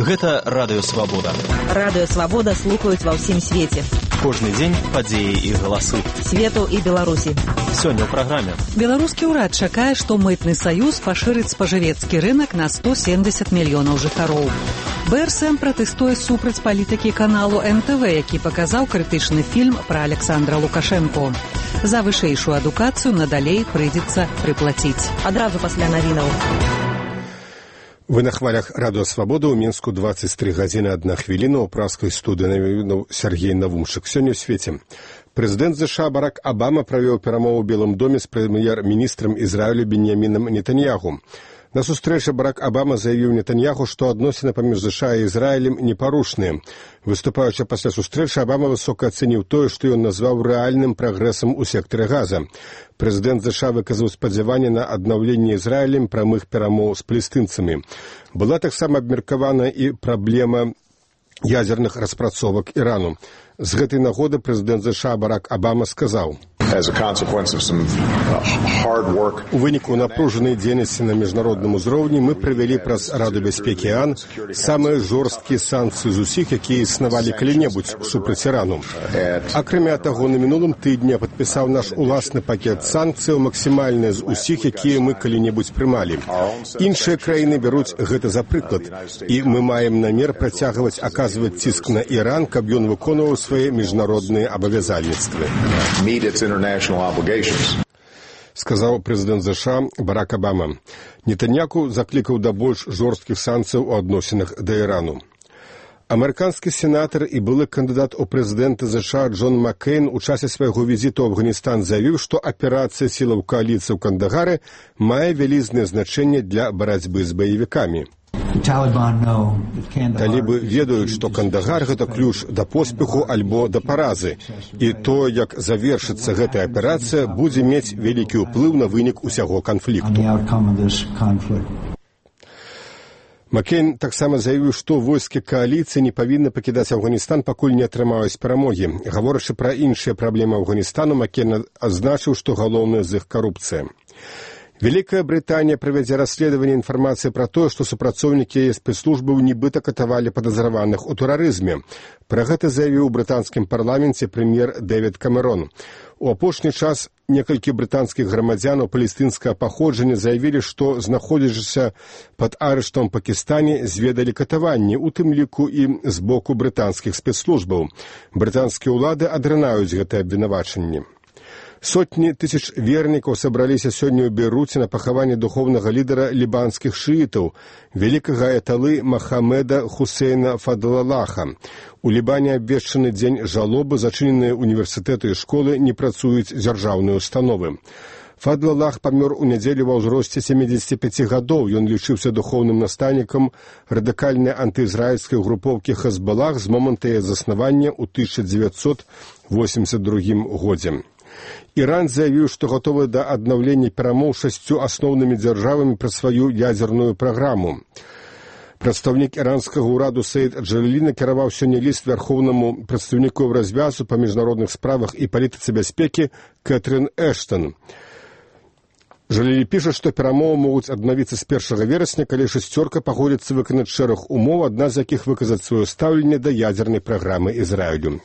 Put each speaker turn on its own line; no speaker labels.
Гэта Радыё Свабода.
Радыё Свабода слухаюць ва ўсім свеце.
Кожны дзень падзеі і галасы.
Свету і Беларусі.
Сёння ў праграме.
Беларускі ўрад чакае, што мытны саюз пашырыць спажывецкі рынак на 170 мільёнаў жыхароў. БРСМ пратэстуе супраць палітыкі каналу НТВ, які паказаў крытычны фільм пра Александра Лукашенко. За вышэйшую адукацыю надалей прыйдзецца прыплаціць.
Адразу пасля навінаў.
Вы на хвалях Радыё Свабода, ў Мінску 23 гадзіны 1 хвіліна, ў праскай студыі навінаў Сергей Навумчык. Сёння ў свеце. Прэзідэнт ЗША Барак Абама правёў перамову ў Белым доме з прэм'ер-міністрам Ізраілю Беньямінам Нетаньяху. На сустрэчы Барак Абама заявіў Нетаньяху, што адносіны паміж ЗША і Ізраілем непарушныя. Выступаючы пасля сустрэчы, Абама высока ацэніў тое, што ён назваў рэальным прагрэсам у сектары Газа. Прэзідэнт ЗША выказаў спадзяванне на аднаўленне Ізраілем прамых перамоў з палестынцамі. Была таксама абмеркавана і праблема ядзерных распрацовак Ірану. З гэтай нагоды прэзідэнт ЗША Барак Абама сказаў: у выніку напружанай дзейнасці на міжнародным узроўні мы правялі праз Раду бяспекі АН самыя жорсткія санкцыі з усіх, якія існавалі калі-небудзь супраць Ірану. Акрамя таго, на мінулым тыдні падпісаў наш уласны пакет санкцыяў, максімальны з усіх, якія мы калі-небудзь прымалі. Іншыя краіны бяруць гэта за прыклад, і мы маем намер працягваць аказваць ціск на Іран, каб ён выконваў свае міжнародныя абавязальніцтвы. Сказаў прэзідэнт ЗША Барак Абама. Нетаньяху заклікаў да больш жорсткіх санкцыяў у адносінах да Ірану. Амерыканскі сенатар і былы кандыдат у прэзідэнты ЗША Джон Маккейн у часе свайго візіту ў Афганістан заявіў, што аперацыя сілаў кааліцыі ў Кандагары мае вялізнае значэнне для барацьбы з баевікамі. Талібы ведаюць, што Кандагар – гэта ключ да поспеху альбо да паразы. І то, як завершыцца гэтая аперацыя, будзе мець вялікі ўплыў на вынік усяго канфлікту. Маккейн таксама заявіў, што войскі кааліцыі не павінны пакідаць Афганістан, пакуль не атрымаюць перамогі. Гаворачы пра іншыя праблемы Афганістану, Маккейн адзначыў, што галоўная з іх карупцыя. Вялікая Брытанія правядзе расследаванне інфармацыі пра тое, што супрацоўнікі яе спецслужбаў нібыта катавалі падазраваных у тэрарызме. Пра гэта заявіў у брытанскім парламенце прэм'ер Дэвід Камерон. У апошні час некалькі брытанскіх грамадзянаў палестынскага паходжання заявілі, што, знаходзячыся пад арыштам у Пакістане, зведалі катаванні, у тым ліку і з боку брытанскіх спецслужбаў. Брытанскія ўлады адрынаюць гэтае абвінавачанне. Сотні тысяч вернікаў сабраліся сёння ў Бейруце на пахаванне духоўнага лідара лібанскіх шыітаў, вялікага аяталы Махамеда Хусейна Фадлалаха. У Лібане абвешчаны дзень жалобы, зачыненыя універсітэты і школы, не працуюць дзяржаўныя установы. Фадлалах памёр у нядзелю ва ўзросце 75 гадоў. Ён лічыўся духоўным настаўнікам радыкальнай антыізраільскай групоўкі Хезбалах з моманту яе заснавання ў 1982 годзе. Іран заявіў, што гатовы да аднаўлення перамоў 6 асноўнымі дзяржавамі пра сваю ядзерную праграму. Прадстаўнік іранскага ўраду Саід Джалілі накіраваў сёння ліст вярхоўнаму прадстаўніку развязу па міжнародных справах і палітыцы бяспекі Кэтрын Эштон. Жалілі піша, што перамовы могуць аднавіцца з 1 верасня, калі шасцёрка пагодзіцца выканаць шэраг умоў, адна з якіх выказаць сваё стаўленне да ядзернай праграмы Ізраілю.